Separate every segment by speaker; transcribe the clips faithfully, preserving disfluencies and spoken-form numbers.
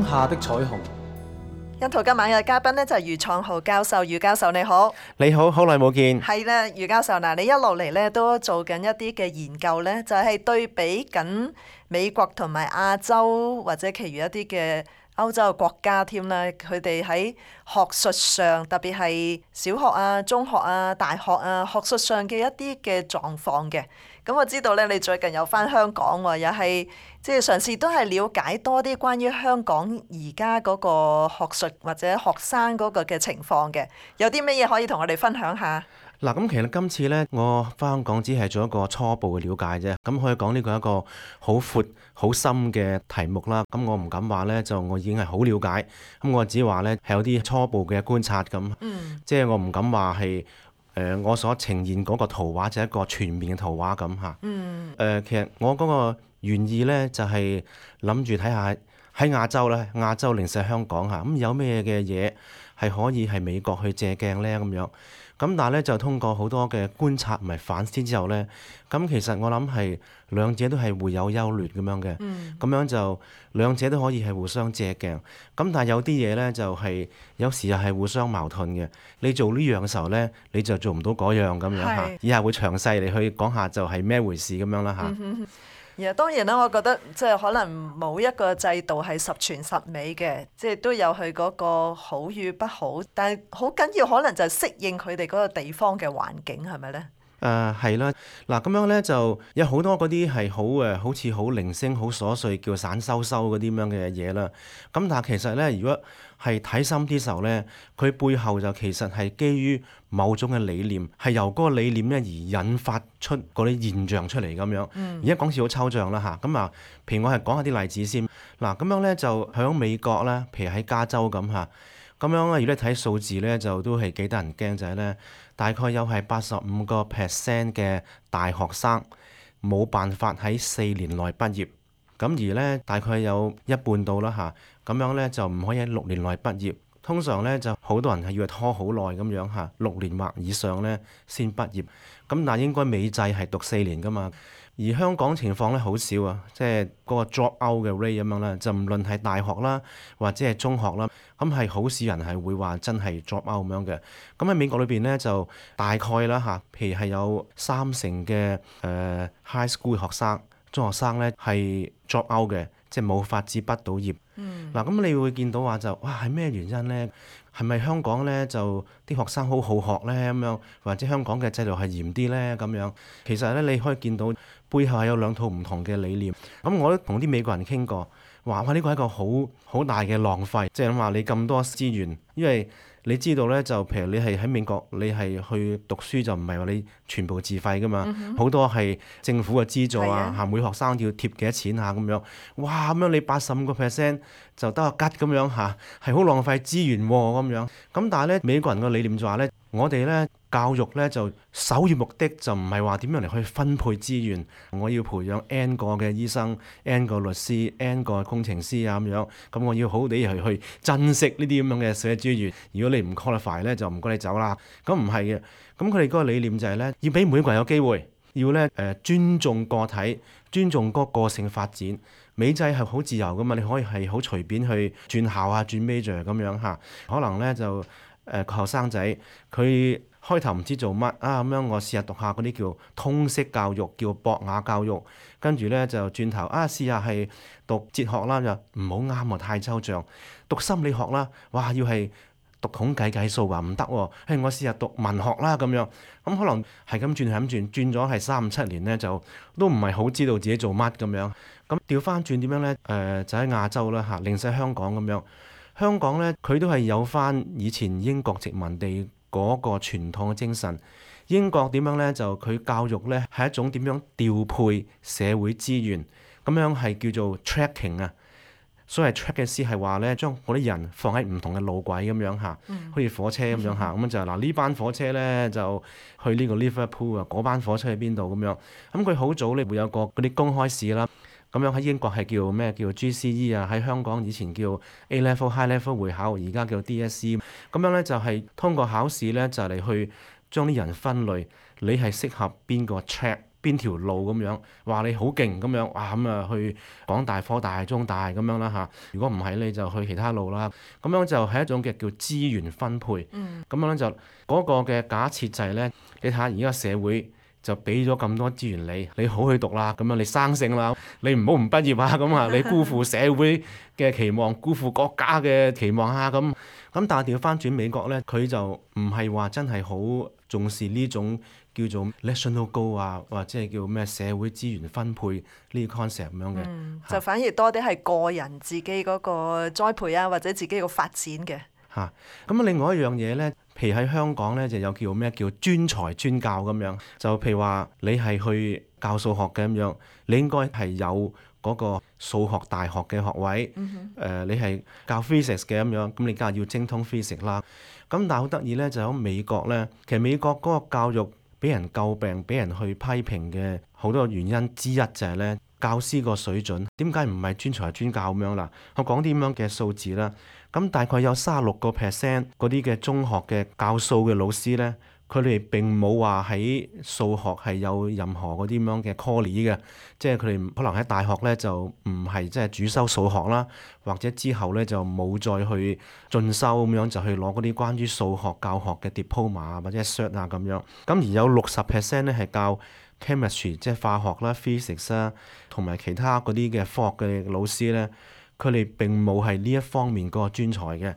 Speaker 1: 下的彩虹。
Speaker 2: 欣圖今晚嘅嘉賓呢，就係余創豪教授，余教授你好。
Speaker 3: 你好，好耐冇見。
Speaker 2: 係啦，余教授嗱，你一路嚟咧都做緊一啲嘅研究咧，就係對比緊美國同埋亞洲或者其餘一啲嘅歐洲嘅國家添啦，佢哋喺學術上，特別係小學啊、中學啊、大學啊，學術上嘅一啲嘅狀況嘅。咁我知道咧，你最近有返香港喎，又係即係嘗試都係了解多啲關於香港而家嗰個學術或者學生嗰個嘅情況嘅，有啲乜嘢可以同我哋分享下？
Speaker 3: 嗱，咁其實今次呢，我返香港只係做一個初步嘅了解啫。咁可以講呢個係一個好闊、好深嘅題目啦。咁我唔敢話呢，就我已經係好了解。咁我只話呢，係有啲初步嘅觀察咁。
Speaker 2: 嗯。
Speaker 3: 即係我唔敢話係誒我所呈現嗰個圖畫就係一個全面嘅圖畫咁嚇。
Speaker 2: 嗯。
Speaker 3: 誒、呃，其實我嗰個原意呢，就係諗住睇下喺亞洲咧，亞洲零舍香港嚇，咁有咩嘅嘢係可以係美國去借鏡呢？咁樣。咁但係咧就通過好多嘅觀察同埋反思之後咧，咁其實我諗係兩者都係會有優劣咁樣嘅，咁、
Speaker 2: 嗯、
Speaker 3: 樣就兩者都可以係互相借鏡。咁但係有啲嘢咧就係、是、有時又係互相矛盾嘅。你做呢樣嘅時候咧，你就做唔到嗰樣咁樣嚇。以下會詳細嚟去講下就係咩回事咁樣啦嚇。
Speaker 2: 嗯而當然啦，我覺得即係可能冇一個制度係十全十美嘅，即係都有佢嗰個好與不好，但係好緊要可能就係適應佢哋嗰個地方嘅環境，係咪呢？
Speaker 3: 誒係啦，嗱咁樣咧就有好多嗰啲係好誒，好似好零星、好瑣碎，叫散收收嗰啲咁樣嘅嘢啦。咁但係其實咧，如果係睇深啲時候咧，佢背後就其實係基於某種嘅理念，係由嗰個理念咧而引發出嗰啲現象出嚟咁樣。而家講似好抽象啦嚇，咁啊，譬如我係講下啲例子先。嗱咁樣咧就喺美國咧，譬如喺加州咁嚇。咁樣咧，如果你睇數字咧，就都係幾得人驚，就係咧，大概有係八十五個 percent 嘅大學生冇辦法喺四年內畢業，咁而咧大概有一半到啦嚇，咁樣咧就唔可以喺六年內畢業。通常咧就好多人係要拖好耐咁樣嚇，六年或以上咧先畢業。咁但係應該美制係讀四年噶嘛。而香港情況咧好少啊，即係嗰個 drop out 嘅 rate 咁樣啦，就唔論係大學啦或者係中學啦，咁係好少人係會話真係 drop out 咁樣嘅。咁喺美國裏邊咧就大概啦嚇，譬如係有三成嘅誒、呃、high school 學生、中學生咧係 drop out 嘅，即係冇法子畢到業。
Speaker 2: 嗯。
Speaker 3: 嗱咁你會見到話就哇係咩原因咧？係咪香港咧就啲學生好好學咧咁樣，或者香港嘅制度係嚴啲咧咁樣？其實咧你可以見到背後係有兩套唔同嘅理念。咁我都同啲美國人傾過，話哇呢個係一個好好大嘅浪費，即係諗話你咁多資源，因為你知道咧就譬如你係喺美國，你係去讀書就唔係話你全部自費噶嘛，好、嗯、哼多係政府嘅資助啊，嚇、啊、每學生要貼幾多錢啊咁樣，哇咁樣你八十五個 percent 就得個吉咁樣嚇，係好浪費資源喎、啊、咁樣。咁但係咧美國人個理念就話咧，我哋咧教育咧就首要目的就唔係話點樣嚟去分配資源，我要培養 N 個嘅醫生、N 個律師、N 個工程師啊咁樣，咁我要好好地去去珍惜呢啲咁樣嘅社會資源。如果你唔 qualify 咧，就唔該你走啦。咁唔係嘅，咁佢哋嗰個理念就係咧，要俾每個人有機會，要咧誒、呃、尊重個體，尊重嗰個個性發展。美制係好自由噶嘛，你可以係好隨便去轉校啊、轉 major 咁樣嚇。可能咧就誒後生仔佢開頭唔知做乜啊咁樣，我試下讀下嗰啲叫通識教育，叫博雅教育。跟住咧就轉頭啊試下係讀哲學啦，就唔好啱喎，太抽象。讀心理學啦，哇要係讀統計計數話唔得喎，誒我試下讀文學啦咁樣。咁可能係咁轉係咁轉，轉咗係三五七年咧，就都唔係好知道自己做乜咁樣。咁調翻轉點樣咧？誒、呃、就喺亞洲啦嚇，零舍香港咁樣。香港咧佢都係有翻以前英國殖民地嗰個傳統嘅精神。英國點樣咧？就佢教育咧係一種點樣調配社會資源，咁樣係叫做 tracking 啊。所謂 track 嘅意思係話咧，將嗰啲人放喺唔同嘅路軌咁樣嚇，好似火車咁樣嚇，咁就嗱呢班火車咧就去呢個 Liverpool 啊，嗰班火車去邊度咁樣。咁佢好早咧會有個嗰啲公開試啦，咁樣喺英國係叫咩？叫 G C E 啊，喺香港以前叫 A Level High Level 會考，而家叫 D S E。咁樣咧就係通過考試咧就嚟去將啲人分類，你係適合邊個 track？邊條路咁樣，話你好勁咁樣，哇咁啊去港大、科大、中大咁樣啦嚇。如果唔係你就去其他路啦。咁樣就係一種嘅叫資源分配。咁、嗯、樣咧就嗰個嘅假設就係咧，你睇下而家社會就俾咗咁多資源你，你好去讀啦，咁樣你生性啦，你唔好唔畢業啊，咁啊你辜負社會嘅期望，辜負國家嘅期望啊咁。咁但係調翻轉美國咧，佢就唔係話真係好重視呢種叫做 national goal 啊，或者係叫咩社會資源分配呢個 concept 咁樣嘅、
Speaker 2: 嗯，就反而多啲係個人自己嗰個栽培啊，或者自己個發展嘅。
Speaker 3: 嚇，咁另外一樣嘢咧，譬如喺香港咧就有叫咩叫專才專教咁樣，就譬如話你係去教數學嘅咁樣，你應該係有嗰個數學大學嘅學位，誒、嗯哼呃、你係教 physics 嘅咁樣，咁你梗係要精通 physics 啦。咁但係好得意咧，就喺美國咧，其實美國嗰個教育俾人詬病、俾人去批評嘅好多原因之一就係咧，教師個水準點解唔係專才專教咁樣啦？我講啲咁樣嘅數字啦，咁大概有三十六個 percent 嗰啲嘅中學嘅教數嘅老師咧。佢哋並冇話喺數學係有任何嗰啲咁樣嘅 callie 嘅，即係佢哋可能喺大學咧就唔係即係主修數學啦，或者之後咧就冇再去進修咁樣就去攞嗰啲關於數學教學嘅 diploma 或者 cert 啊咁樣。咁而有六十 percent 咧係教 chemistry 即係化學啦、physics 啦，同埋其他嗰啲嘅科學嘅老師咧，佢哋並冇係呢一方面嗰個專才嘅。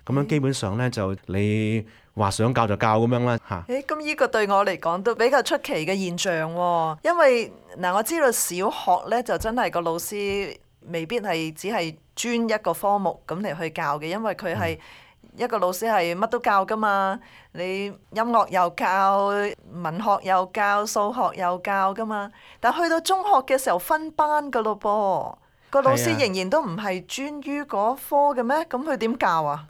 Speaker 3: 咁樣基本上咧就你話想教就教咁樣啦嚇。
Speaker 2: 誒，咁呢個對我嚟講都比較出奇嘅現象喎，因為嗱我知道小學咧就真係個老師未必係只係專一個科目咁嚟去教嘅，因為佢係一個老師係乜都教噶嘛，你音樂又教，文學又教，數學又教噶嘛。但去到中學嘅時候分班噶咯噃，個老師仍然都唔係專於嗰科嘅咩？咁佢點教啊？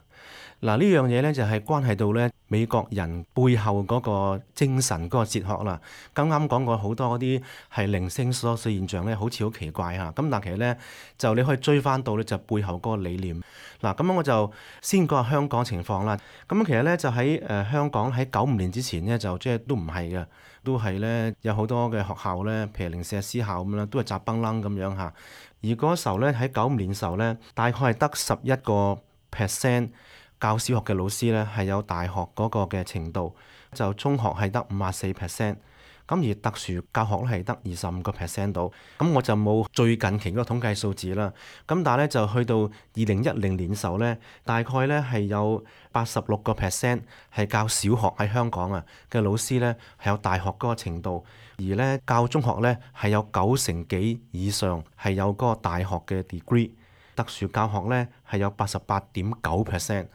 Speaker 3: 嗱，呢樣嘢咧就係關係到咧美國人背後嗰個精神嗰個哲學啦。啱啱講過好多嗰啲係零星瑣碎現象咧，好似好奇怪嚇。咁但其實咧就你可以追翻到咧就背後嗰個理念。嗱，咁樣我就先講下香港情況啦。咁其實咧就喺誒香港喺九五年之前咧就即係都唔係嘅，都係咧有好多嘅學校咧，譬如零舍私校咁啦，都係雜崩楞咁樣嚇。而嗰時候咧喺九五年時候咧，大概係得十一個 percent。教小學嘅老師咧係有大學嗰個嘅程度，就中學係得五十四 percent，咁而特殊教學咧係得二十五個 percent 到。咁我就冇最近期嗰個統計數字啦。咁但係咧就去到二零一零年時候咧，大概咧係有八十六個 percent 係教小學喺香港啊嘅老師咧係有大學嗰個程度，而咧教中學咧係有九成幾以上係有嗰個大學嘅 degree。特殊教學咧係有八十八點九 percent，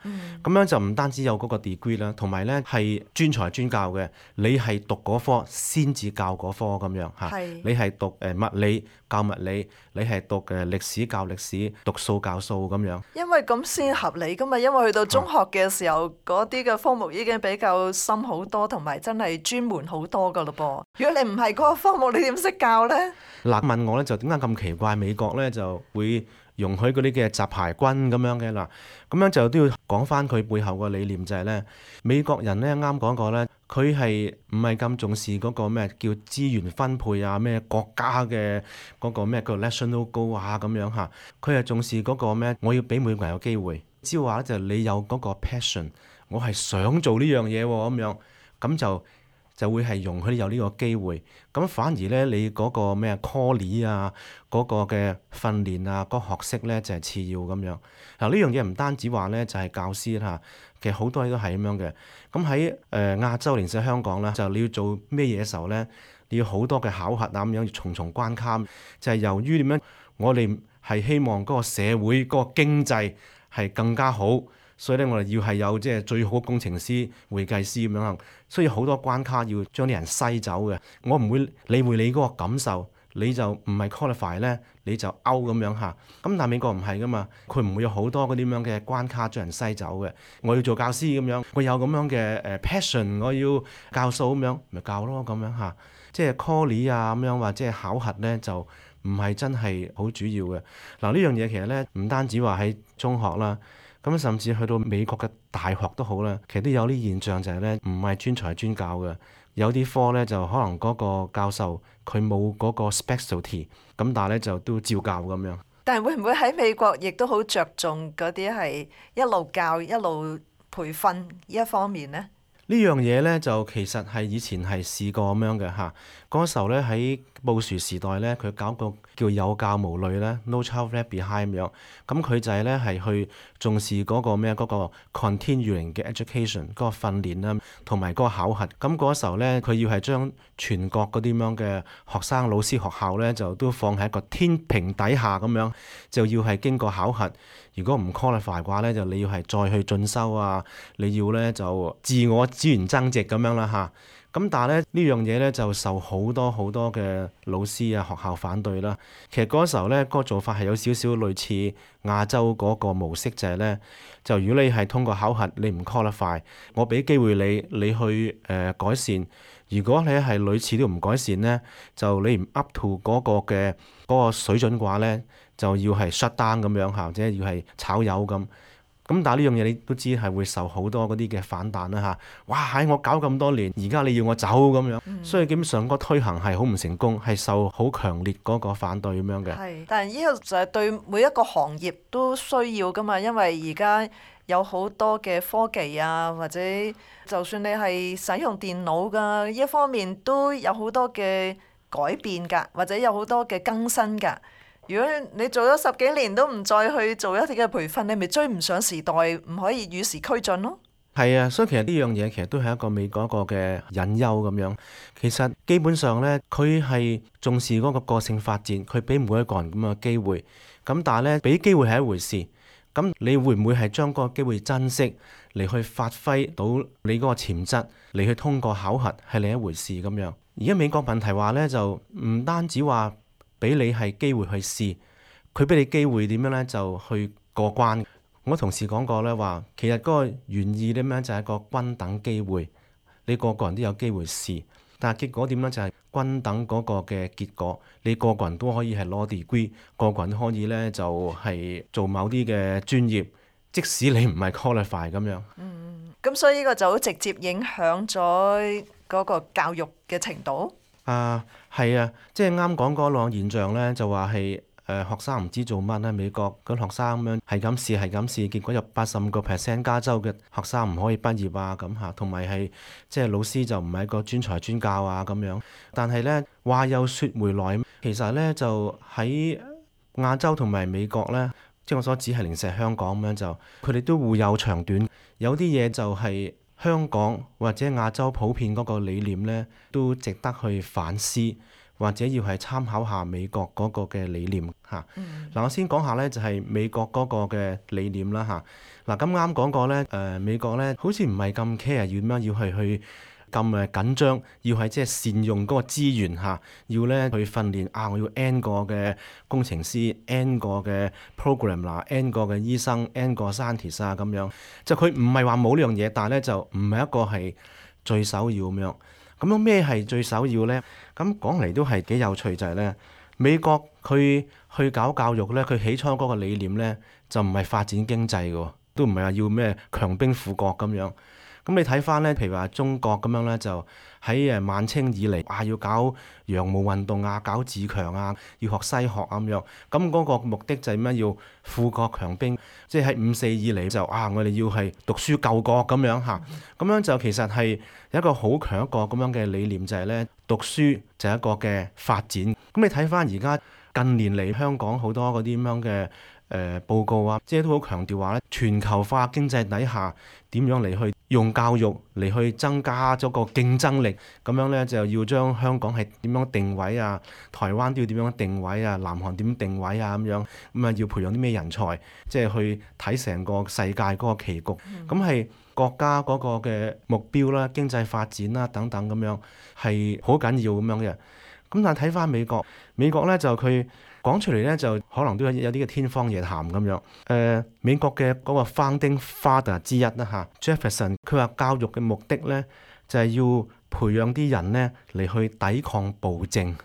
Speaker 3: 咁樣就唔單止有嗰個 degree 啦，同埋咧係專才專教嘅，你係讀嗰科先至教嗰科咁樣嚇。
Speaker 2: 是
Speaker 3: 你係讀誒物理教物理，你係讀誒歷史教歷史，讀數教數咁樣。
Speaker 2: 因為咁先合理噶嘛，因為去到中學嘅時候，嗰啲嘅科目已經比較深好多，同埋真係專門好多噶咯噃。如果你唔係嗰個科目，你點識教咧？
Speaker 3: 嗱，問我咧就點解咁奇怪？美國咧就會容許嗰啲嘅雜牌軍咁樣嘅嗱，咁樣就都要講翻佢背後個理念就係咧，美國人咧啱講過咧，佢係唔係咁重視嗰個咩叫資源分配啊，咩國家嘅嗰個咩叫 national goal 啊咁樣嚇，佢係重視嗰個咩？我要俾每個人有機會，只要話咧就你有嗰個 passion，我係想做呢樣嘢喎咁樣，咁就就會係容許你有呢個機會。咁反而咧，你嗰個咩 callie 啊，嗰個嘅訓練啊，嗰個學識咧就係次要咁樣。嗱，呢樣嘢唔單止話咧就係教師啦，其實好多嘢都係咁樣嘅。咁喺誒亞洲，連喺香港啦，就你要做咩嘢嘅時候咧，你要好多嘅考核啊咁樣，要重重關卡。就係由於點樣，我哋係希望嗰個社會嗰個經濟係更加好。所以咧，我哋要係有即係最好嘅工程師、會計師咁樣，所以好多關卡要將啲人篩走嘅。我唔會理會你嗰個感受，你就唔係 qualify 咧，你就 out 咁樣嚇。咁但係美國唔係噶嘛，佢唔會有好多嗰啲咁樣嘅關卡將人篩走嘅。我要做教師咁樣，我有咁樣嘅誒 passion，我要教數咁樣，咪教咯咁樣嚇。即係 callie 啊咁樣或者係考核咧，就唔係真係好主要嘅。嗱，呢樣嘢其實咧唔單止話喺中學啦。咁甚至去到美國嘅大學都好啦，其實都有啲現象就係咧，唔係專才專教嘅，有啲科咧就可能嗰個教授佢冇嗰個 specialty，咁但係咧就都照教咁樣。
Speaker 2: 但係會唔會喺美國亦都好着重嗰啲係一路教一路培訓呢一方面呢？
Speaker 3: 呢樣嘢咧就其實係以前係試過咁樣嘅嚇。嗰時候咧喺布殊時代咧，佢搞個叫有教無類咧 ，No Child Left Behind 咁樣。咁佢就係咧係去重視嗰個咩嗰個 continuing 嘅 education 嗰個訓練啦，同埋嗰個考核。咁嗰時候咧，佢要係將全國嗰啲咁樣嘅學生、老師、學校咧，就都放喺一個天平底下咁樣，就要係經過考核。如果唔 qualify 嘅話咧，就你要係再去進修啊，你要咧就自我資源增值咁樣啦嚇。咁但係咧呢樣嘢咧就受好多好多嘅老師啊學校反對啦。其實嗰時候咧嗰個做法係有少少類似亞洲嗰個模式，就係咧就如果你係通過考核你唔 qualify，我俾機會你你去誒、呃、改善。如果你係屢次都唔改善咧，就你唔 up to 嗰個嘅嗰個水準嘅話咧，就要係 shut down 咁樣嚇，或者要係炒魷咁。咁但係呢樣嘢你都知係會受好多嗰啲嘅反彈啦嚇。哇！喺我搞咁多年，而家你要我走咁樣，嗯、所以基本上個推行係好唔成功，係受好強烈嗰個反對咁樣嘅。
Speaker 2: 係，但係呢個就係對每一個行業都需要噶嘛，因為而家有好多嘅科技啊，或者就算你係使用電腦㗎，呢一方面都有好多嘅改變㗎，或者有好多嘅更新㗎。如果你做咗十幾年都唔再去做一啲嘅培訓，你咪追唔上時代，唔可以與時俱進咯。
Speaker 3: 係啊，所以其實呢樣嘢其實都係一個美國一個嘅隱憂咁樣。其實基本上呢，佢係重視嗰個個性發展，佢俾每一個人咁嘅機會。咁但係呢，俾機會係一回事。咁你會唔會係將嗰個機會珍惜嚟去發揮到你嗰個潛質嚟去通過考核係另一回事咁樣。而家美國問題話呢，就唔單止話俾你係機會去試，佢俾你機會點樣呢？就去過關。我同事講過呢話，其實嗰個原意點樣就係一個均等機會，你個個人都有機會試，但係結果點樣就係均等嗰個嘅結果，你個個人都可以係攞 degree，個個人都可以呢就係做某啲嘅專業，即使你唔係 qualify 咁樣。
Speaker 2: 嗯，咁所以呢個就好直接影響咗嗰個教育嘅程度。
Speaker 3: 啊，係啊，即係啱講嗰兩個現象咧，就話係誒學生唔知做乜咧，美國嗰啲學生咁樣係咁試係咁試，結果有八十五個 percent 加州嘅學生唔可以畢業啊咁嚇，同埋係即係老師就唔係一個專才專教啊咁樣。但係咧話又説回來，其實咧就喺亞洲同埋美國咧，即係我所指係零舍香港咁樣就，佢哋都互有長短，有啲嘢就係、是。香港或者亞洲普遍嗰個理念呢，都值得去反思，或者要係參考下美國嗰個嘅理念嚇。嗱、嗯啊，我先講下呢，就係、是、美國嗰個嘅理念啦嚇。嗱，咁啱講過呢，誒、呃、美國呢好似唔係咁 care 要點樣要係去咁誒緊張，要係即係善用嗰個資源嚇，要咧去訓練啊！我要 N 個嘅工程師，N 個嘅 program 嗱，N 個嘅醫生，N 個 scientist 啊咁樣。就佢唔係話冇呢樣嘢，但係咧就唔係一個係最首要咁樣。咁樣咩係最首要咧？咁講嚟都係幾有趣，就係咧美國佢去搞教育咧，佢起初嗰個理念咧就唔係發展經濟嘅，都唔係話要咩強兵富國咁樣。咁你睇翻咧，譬如話中國咁樣咧，就喺誒晚清以嚟，啊要搞洋務運動啊，搞自強啊，要學西學咁樣。咁嗰個目的就係咩？要富國強兵，即係喺五四以嚟就啊，我哋要係讀書救國咁樣嚇。咁樣就其實係有一個好強一個咁樣嘅理念，就係咧讀書就係一個嘅發展。咁你睇翻而家近年嚟香港好多嗰啲咁樣嘅。誒、呃、報告啊，即係都好強調話咧，全球化經濟底下點樣嚟去用教育嚟去增加咗個競爭力，咁樣咧就要將香港係點樣定位啊，台灣都要點樣定位啊，南韓點樣定位啊咁樣，咁啊要培養啲咩人才，即係去睇成個世界嗰個棋局，咁係、嗯、國家嗰個嘅目標啦、經濟發展啦等等咁樣係好緊要咁樣嘅。咁但係睇翻美國，美國咧就佢。講出嚟咧就可能都有有啲嘅天方夜譚咁樣。誒、呃，美國嘅嗰個 founding father 之一啦嚇 Jefferson，佢話教育嘅目的咧就係、是、要培養啲人咧嚟去抵抗暴政。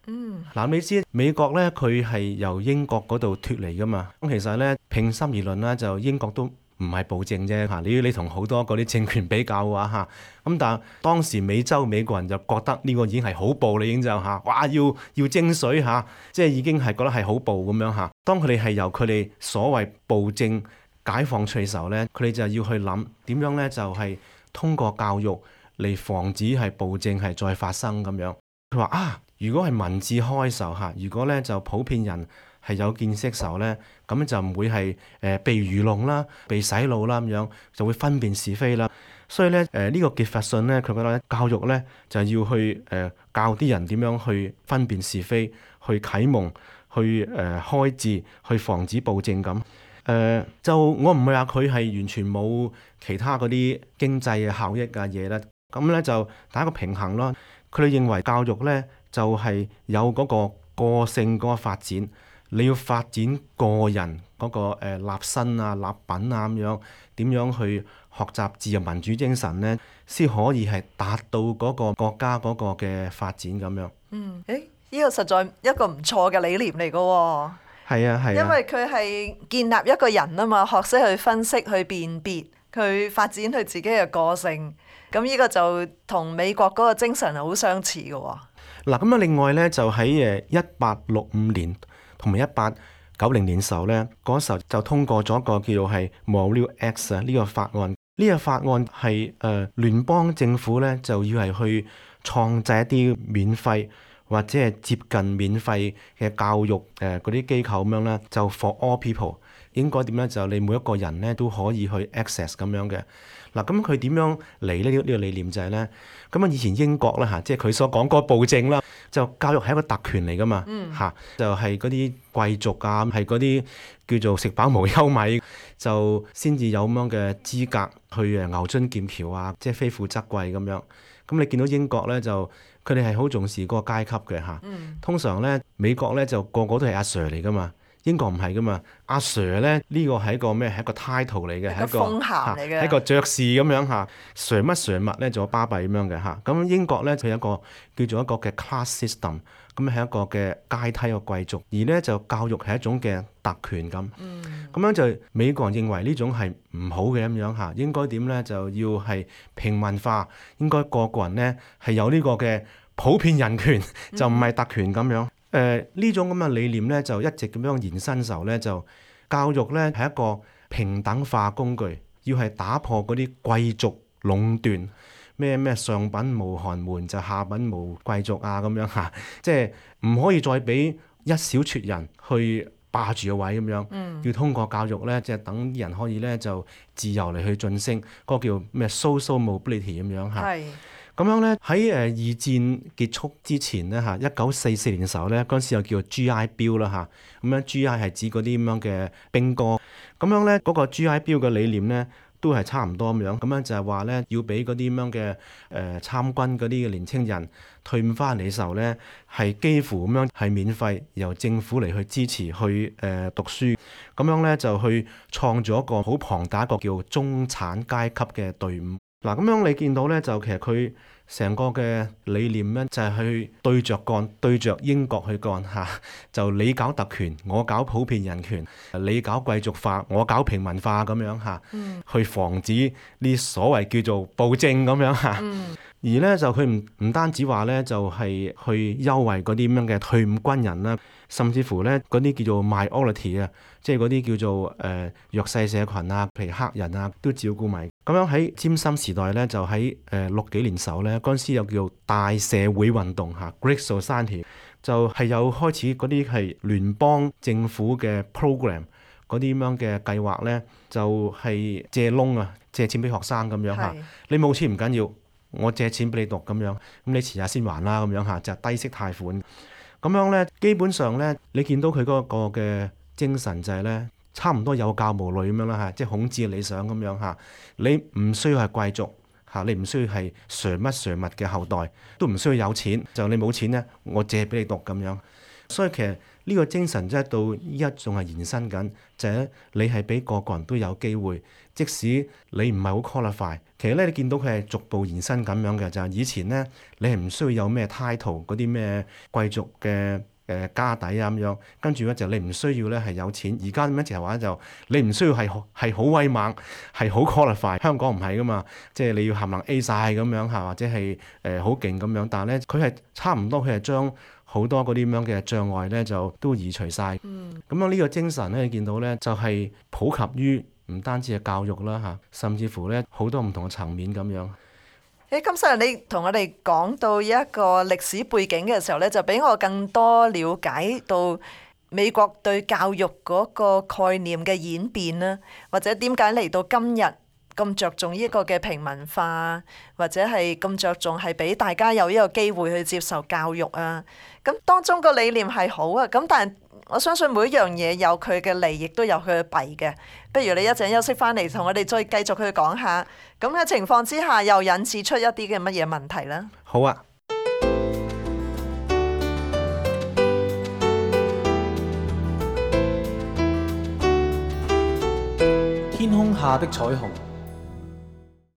Speaker 3: 嗯。嗱，你知美國咧佢係由英國嗰度脫離噶嘛？咁其實咧平心而論啦，就英國都唔係暴政啫嚇。你你同好多嗰啲政權比較嘅話嚇，咁但係當時美洲美國人就覺得呢個已經係好暴啦，已經就嚇，哇要要徵水嚇，即係已經係覺得係好暴咁樣嚇。當佢哋係由佢哋所謂暴政解放出嚟嘅時候咧，佢哋就要去諗點樣咧，就係通過教育嚟防止係暴政係再發生咁樣。佢話啊，如果係民智開嘅時候嚇，如果咧就普遍人係有見識嘅時候咧，咁就唔會係誒、呃、被愚弄啦、被洗腦啦咁樣，就會分辨是非啦。所以咧誒呢、呃這個傑弗遜咧，佢覺得咧教育咧就要去誒、呃、教啲人點樣去分辨是非，去啟蒙，去誒、呃、開智，去防止暴政咁。誒、呃、就我唔係話佢係完全冇其他嗰啲經濟嘅效益嘅嘢咧，咁咧就打一個平衡咯。佢哋認為教育咧就係、是、有嗰個個性嗰個發展，你要發展個人嗰、那個、呃、立身啊、立品啊咁樣，點樣去學習自由民主精神咧，先可以係達到嗰個國家嗰個嘅發展咁樣。
Speaker 2: 嗯，誒，呢個實在一個唔錯嘅理念嚟㗎喎。
Speaker 3: 係啊，係啊。
Speaker 2: 因為佢係建立一個人啊嘛，學識去分析、去辨別、去發展佢自己嘅個性。咁呢個就同美國嗰個精神係好相似嘅喎。
Speaker 3: 嗱，咁啊，另外咧就喺誒一八六五年同埋一八九零年時候咧，嗰時候就通過咗一個叫做係 Morrill Act 啊呢個法案。呢、這個法案係誒、呃、聯邦政府咧就要係去創制一啲免費或者係接近免費嘅教育誒嗰啲機構咁樣咧，就 for all people 應該點咧？就你每一個人咧都可以去 access 咁樣嘅。嗱，咁佢點樣嚟呢？呢、這個理念就係、是、咧，咁啊以前英國啦嚇，即係佢所講嗰個暴政啦，就教育係一個特權嚟噶嘛嚇、嗯啊，就係嗰啲貴族啊，係嗰啲叫做食飽無憂米，就先至有咁樣嘅資格去誒牛津劍橋啊，即係非富則貴咁樣。咁你見到英國咧就佢哋係好重視嗰個階級嘅嚇，啊嗯、通常咧美國咧就個個都係阿 Sir 嚟噶嘛。英國唔係噶嘛，阿 Sir 咧呢個係一個咩？係一個 title 嚟嘅，係一個
Speaker 2: 封銜嚟嘅，
Speaker 3: 係一個爵士咁樣嚇。Sir 乜 Sir 乜咧，做巴閉咁樣嘅嚇。咁英國咧佢有一個叫做一個嘅 class system，咁係一個嘅階梯嘅貴族，而咧就教育係一種嘅特權咁。咁、嗯、樣就美國人認為呢種係唔好嘅咁樣嚇，應該點咧就要係平民化，應該個個人咧係有呢個嘅普遍人權，就唔係特權咁樣。誒呢、呃、種咁嘅理念咧，就一直咁樣延伸時候咧，就教育咧係一個平等化工具，要係打破嗰啲貴族壟斷，咩咩上品無寒門就下品無貴族啊咁樣嚇，即係唔可以再俾一小撮人去霸住個位咁樣，嗯、要通過教育咧，即係等啲人可以咧就自由嚟去晉升，嗰、嗰個叫咩 social mobility 咁樣嚇。咁樣咧喺誒二戰結束之前咧嚇，一九四四年嘅時候咧，嗰陣時又叫做 G I Bill 啦嚇，咁樣 G I 係指嗰啲咁樣嘅兵哥，咁樣咧嗰個 G I Bill 嘅理念咧都係差唔多咁樣，咁樣就係話咧要俾嗰啲咁樣嘅誒、呃、參軍嗰啲嘅年青人退伍翻嚟嘅時候咧，係幾乎咁樣係免費由政府嚟去支持去誒、呃、讀書，咁樣咧就去創造一個好龐大一個叫中產階級嘅隊伍。嗱，咁樣你見到咧，就其實佢成個嘅理念咧，就係去對着幹，對着英國去幹嚇，就你搞特權，我搞普遍人權；你搞貴族化，我搞平民化咁樣嚇，嗯、去防止呢所謂叫做暴政咁樣嚇。嗯、而咧就佢唔唔單止話咧，就係、是、去優惠嗰啲咁樣嘅退伍軍人啦，甚至乎咧嗰啲叫做 minority 啊，即係嗰啲叫做誒、呃、弱勢社群啊，譬如黑人啊，都照顧埋。咁樣喺占森時代咧，就喺誒、呃、六幾年時候咧，嗰陣時又叫做大社會運動嚇 Great Society，就係有開始嗰啲係聯邦政府嘅 program 嗰啲咁樣嘅計劃咧，就係、是、借窿啊，借錢俾學生咁樣嚇。是你冇錢唔緊要，我借錢俾你讀咁樣，咁你遲下先還啦咁樣嚇，就是、低息貸款。咁樣咧，基本上咧，你見到佢嗰個嘅精神就係咧。差唔多有教無類咁樣啦嚇，即係孔子嘅理想咁樣嚇。你唔需要係貴族嚇，你唔需要係誰乜誰物嘅後代，都唔需要有錢。就你冇錢咧，我借俾你讀咁樣。所以其實呢個精神即係到依家仲係延伸緊，就係、是、你係俾個個人都有機會，即使你唔係好 qualify。其實咧，你見到佢係逐步延伸咁樣嘅，就係、是、以前咧，你係唔需要有咩 title 嗰啲咩貴族嘅。誒、誒家底啊咁樣，跟住咧就你唔需要咧係有錢，而家點樣就係話就你唔需要係係好威猛，係好 qualify。香港唔係噶嘛，即係你要冚唪唥 A 晒咁樣嚇，或者係誒好勁咁樣，但係咧佢係差唔多，佢係將好多嗰啲咁樣嘅障礙咧就都移除晒。嗯，咁樣呢個精神咧，你見到咧就係普及於唔單止係教育啦嚇，甚至乎咧好多唔同嘅層面咁樣。
Speaker 2: 誒，金生你同我哋講到一個歷史背景嘅時候咧，就俾我更多了解到美國對教育嗰個概念嘅演變啦，或者點解嚟到今日咁着重呢個嘅平民化，或者係咁着重係俾大家有呢個機會去接受教育啊。咁當中個理念係好啊，咁但係我相信每一樣嘢有佢嘅利，亦都有佢嘅弊嘅。不如你一陣休息翻嚟，同我哋再繼續去講下，咁嘅情況之下又引致出一啲嘅乜嘢問題呢？
Speaker 3: 好啊。
Speaker 1: 天空下的彩虹。